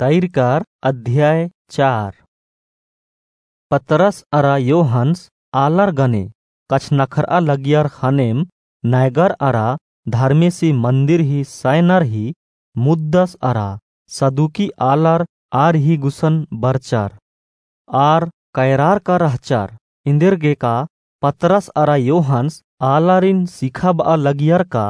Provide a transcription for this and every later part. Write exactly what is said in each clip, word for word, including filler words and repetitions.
तैरकार अध्याय चार। पतरस अरा योहन्स आलर गने कछनखरआ लगियर ख़नेम नैगर अरा धर्मेसी मन्दिर ही सैनर ही मुद्दस अरा सदुकी आलर आर ही गुसन बरचर। आर कैरार का रहचर। इन्देरगेका पतरस अरा योहन्स आलारिन सिखाबआ लगियर का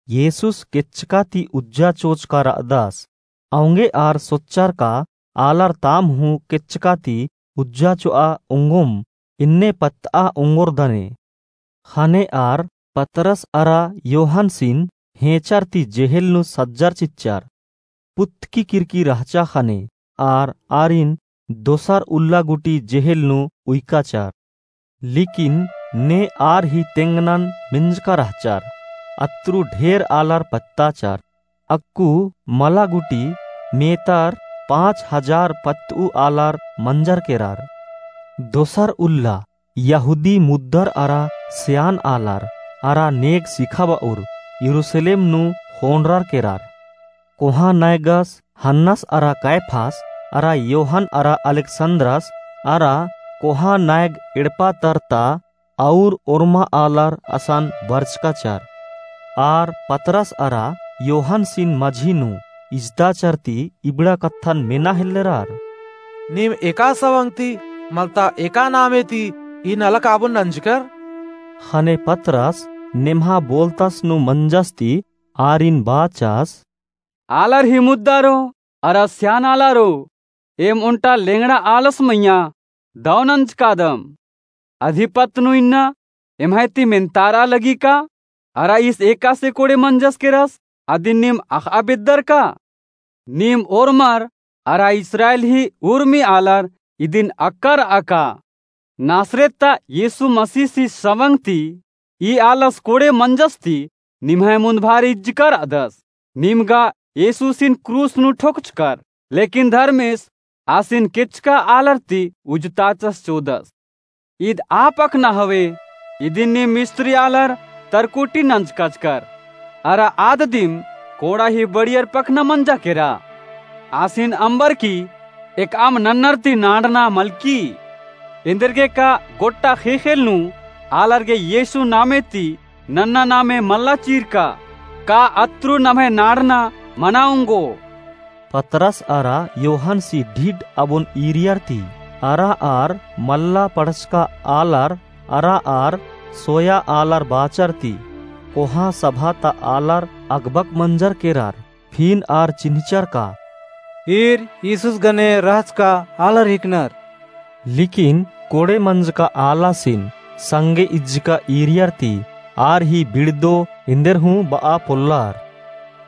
येसुस केच्चका ती उज्जा चोचका रअदस। औंगे आर सोच्चर का आलर ताम हूँ केच्चका ती उज्जा चोआ ओंगोम, इन्ने पत्तआ ओंगोर दने। ख़ने आर पतरस अरा योहन्सिन हेंचर ती जेहेल नू सज्जर चिच्चर। पुत्तकी किरकी रहचा ख़ने आर आरिन दोसर उल्ला गुटी जेहेल नू उइकाचर। लिकिन ने आर ही तेंगनन मेंजका रहचर, अत्रु ढेर आलर पत्ताचर। अक्कु मला गुटी मेतर पाँच हजार पत्तउ आलर मंजर केरर। दोसर उल्ला यहूदी मुद्दर अरा स्यान आलर अरा नेग सिखाबउर यरूसलेम नू ख़ोंड़रर केरर। कोहाँ नैगस हन्नस अरा कैफास अरा योहन अरा अलेक्सन्द्रस अरा कोहाँ नैग एड़पा तरता और ओर्मा आलर असन बरचकाचर। आर पतरस अरा योहन्सिन मझी नू इजताचर ती इबड़ा कत्थन मेना हेल्लरर। नीम एका सवंग ती मलता एका नामे ती ई नलख आबोन नंजकर? ख़ने पतरस नेम्हा बोलतस नू मंजस ती आरिन बाचस। आलर ही मुद्दारो अरा स्यान आलारो, एम ओन्टा लेंगड़ा आलस मइय्याँ दव नंजकादम। अधिपत नू इन्ना एम्है ती मेन्तारआ लगी का? अरा ईस एकासे कोड़े मंजस केरस, अदिन नीम अख़आ बेद्दर का? नीम ओर्मर अरा इस्राएल ही उर्मी आलर इदिन अक्कर अका। नासरेत ता यीशु मसीहसी सवंग ती ई आलस कोड़े मंजस ती निम्है मुन्ध भारी इज्जकर अदस। नीम गा यीशुसिन क्रूस नू ठोकचकर, लेकिन धर्मेस आसिन केच्चका आलर ती उजताचस चोदस। ईद आ पखना हवे, इदिन नीम मिस्त्री आलर तरकुटी नंजकाचकर। अरा आद दिम कोड़ा ही बढ़ियर पखना मंजा केरा। आसिन अम्बर की एकअम नन्नर ती नाड़ना मलकी। एन्देरगेका गोट्टा ख़ेख़ेल नू आलर गे यीशु नामे ती नन्ना नामे मल्ला चीरका, का अत्रु नम्है नाड़ना मना ओंगो? पतरस अरा योहन्सी ढिड अबोन ईरियर ती, अरा आर मल्ला पढ़चका आलर अरा आर सोया आलर बाचर ती, कोहाँ सभा ता आलर अगबक मंजर केरर। फिन आर चिन्हचर का, ईर यीशुस गने रहचका आलर हिकनर। लिकिन कोड़े मंजका आलासिन संगे इज्जका ईरियर ती आर ही बिड़दो एन्देर हूँ बआ पोल्लर।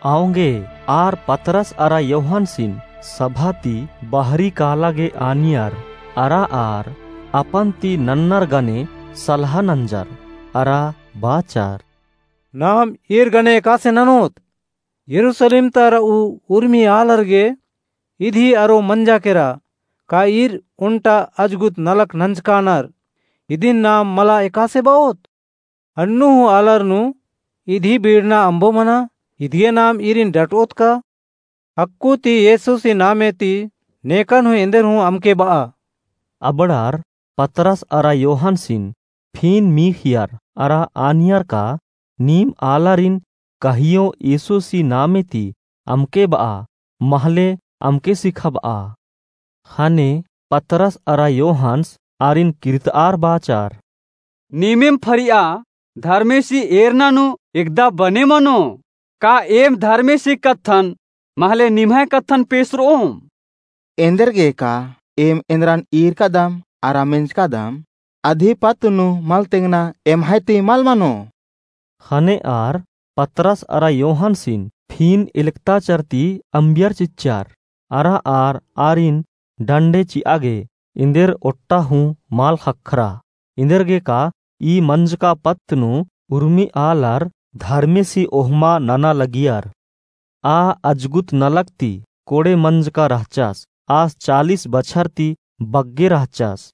औंगे आर पतरस अरा योहन्सिन सभा ती बहरी काला गे आनियर, अरा आर अपन ती नन्नर गने सलहा नंजर, अरा बाचर। नाम ईर गने एकासे ननोत? यरूसलेम ता रऊ उर्मी आलर गे इदी अरो मंजा केरा, का ईर ओन्टा अजगुत नलख नंजकानर? इदिन नाम मला एकासे बओत? अन्नु हूँ आलर नू इदी बीड़ना अम्बो मना, इदिगे नाम ईरिन डटओत का? अक्कु ती यीशुसी नामे ती नेकन हूँ एन्देर हूँ अमके बआ। अबड़ार पतरस अरा योहन्सिन फिन मीख़ियर अरा आनियर का, नीम आलारिन कहियो यीशुसी नामे ती अमके बआ, महले अमके सिखाबआ। ख़ने पतरस अरा योहन्स आरिन किर्तआर बाचर। नीमिम फरिया धर्मेसी एरना नू एकदा बने मनो, का एम धर्मेसी कत्थन महले निम्है कत्थन पेसरओम? एन्देरगेका एम एन्द्रन ईरकादम अरा मेंजकादम, अधिपत नू मल तेंगना एम्है ती मल मनो। ख़ने आर पतरस अरा योहन्सिन फिन एलकताचर ती अम्बियर चिच्चर, अरा आर आरिन डंडे चिआ गे एन्देर ओट्टा हूँ मल ख़क्खरा। एन्देरगेका ई मंजका पत्त नू उर्मी आलर धर्मेसी ओहमा नना लगियर। आ अजगुत नलख ती कोड़े मंजका रहचस, आस चालीस बछर ती बग्गे रहचस।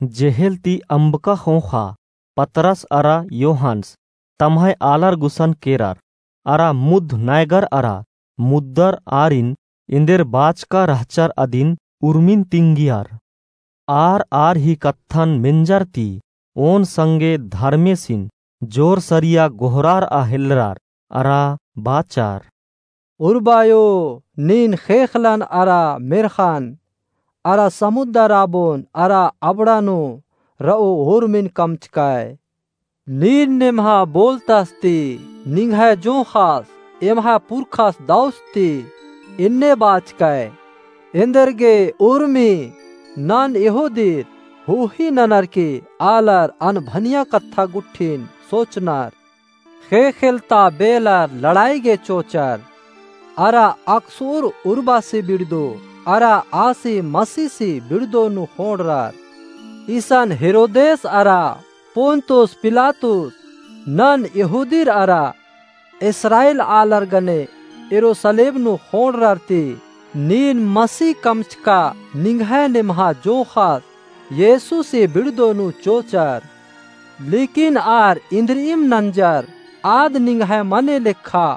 जेहेल ती अम्बका ख़ोख़ा पतरस अरा योहन्स तम्है आलर गुसन केरर, अरा मुद्ध नैगर अरा मुद्दर आरिन एन्देर बाचका रहचर अदिन उर्मिन तिंगियर। आर आर ही कत्थन मेंजर ती ओन संगे धर्मेसिन जोर सरिया गोहरारआ हेलरार अरा बाचर। उर्बायो, नीन ख़ेख़लन अरा मेर्ख़न, अरा समुद्दर आबोन अरा अबड़ा नू रओ उर्मिन कमचकय। नीन नेम्हा बोलतस ती निंग्है जोंख़स एम्है पुरखस दौस ती एन्ने बाचकय। एन्देरगे उर्मी नन यहूदीर हूही ननर की आलर अनभनिया कत्था गुट्ठिन सोचनर। ख़ेख़ेलता बेलर लड़ाई गे चोचर। अरा अकसुर उर्बासी बिड़दो, अरा आसी मसीसी बिड़दो नू ख़ोंड़रर। इसन हेरोदेस अरा पोन्तुस पिलातुस नन यहूदीर अरा इस्राएल आलर गने यरूसलेम नू ख़ोंड़रर ती नीन मसीह कमचका निंग्है नेम्हा जोंख़स येसुसे बिड़दो नू चोचर। लेकिन आर इन्द्रिइम नंजर आद निंग्है मने लेखा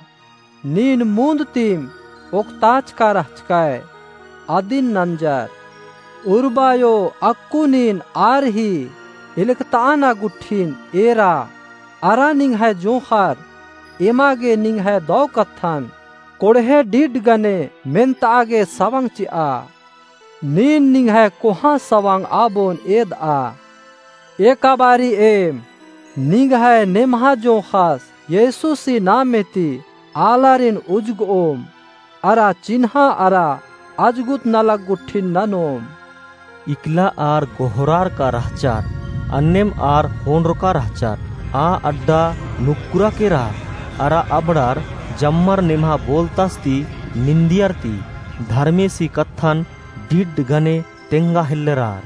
नीन मुन्द तिम ओक्ताचका रहचकय अदिन नंजर। उर्बायो अक्कु नीन आर ही इलकताअना गुट्ठिन एरा अरा निंग्है जोंख़र एमा गे निंग्है दौ कत्थन कोड़हे डिड गने मेन्ताआ गे सवंग चिआ। नीन निंग्है कोहाँ सवंग आबोन एदआ। एका बारी एम निंग्है नेम्हा जोंख़स येसुसी नामे ती आलारिन उजगओम अरा चिन्हा अरा अजगुत नलख गुट्ठिन ननोम। इकला आर गोहरारका रहचर, अन्नेम आर ख़ोंड़रका रहचर। आ अड्डा नुक्कुरा केरा अरा अबड़ार जम्मर नेम्हा बोलतस ती निंदियर ती धर्मेसी कत्थन डिड गने तेंगा हेल्लरार।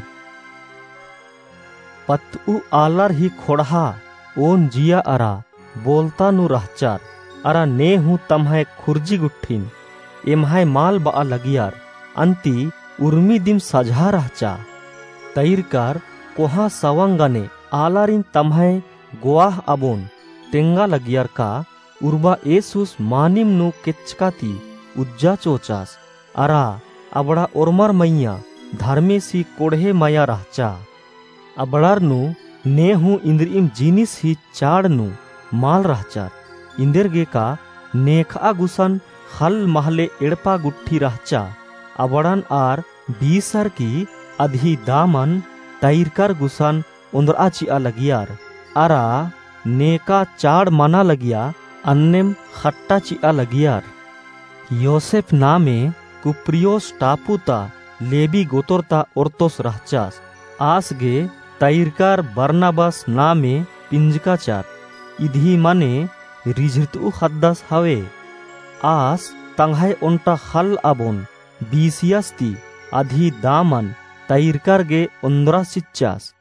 पत्तउ आलर ही ख़ोंड़हा ओन जिया अरा बोलता नू रहचर अरा ने हूँ तम्है खुर्जी गुट्ठिन एम्है माल बआ लगियर। अन्ती उर्मी दिम सझा रहचा। तैरकर कोहाँ सवंग गने आलारिन तम्है गोआह आबोन तेंगा लगियर का उर्बा येसुस मानिम नू केच्चका ती उज्जा चोचास। अरा अबड़ा ओर्मर मइय्याँ धर्मेसी कोड़हे मया रहचा। अबड़ार नू ने हूँ इन्द्रिइम जिनिस ही चाड़ नू माल रहचर। इन्देरगे का नेखआ गुसन ख़ल्ल महले एड़पा गुट्ठी रहचा। अबड़न आर बीसर की अदही दामन तैरकर गुसन ओन्द्रआ चिआ लगियर, अरा नेका चाड़ मना लगिया अन्नेम ख़ट्टा चिआ लगियर। योसेफ नामे कुप्रियोस टापू ता लेबी गोतोर ता ओर्तोस रहचस। आस गे तैरकर बरनबास नामे पिंजकाचर। इदही मने रिझरतउ ख़द्दस हवे। आस तंग्है ओन्टा ख़ल्ल आबोन बीसियस ती अदही दामन तैरकर गे ओन्द्रा चिच्चस।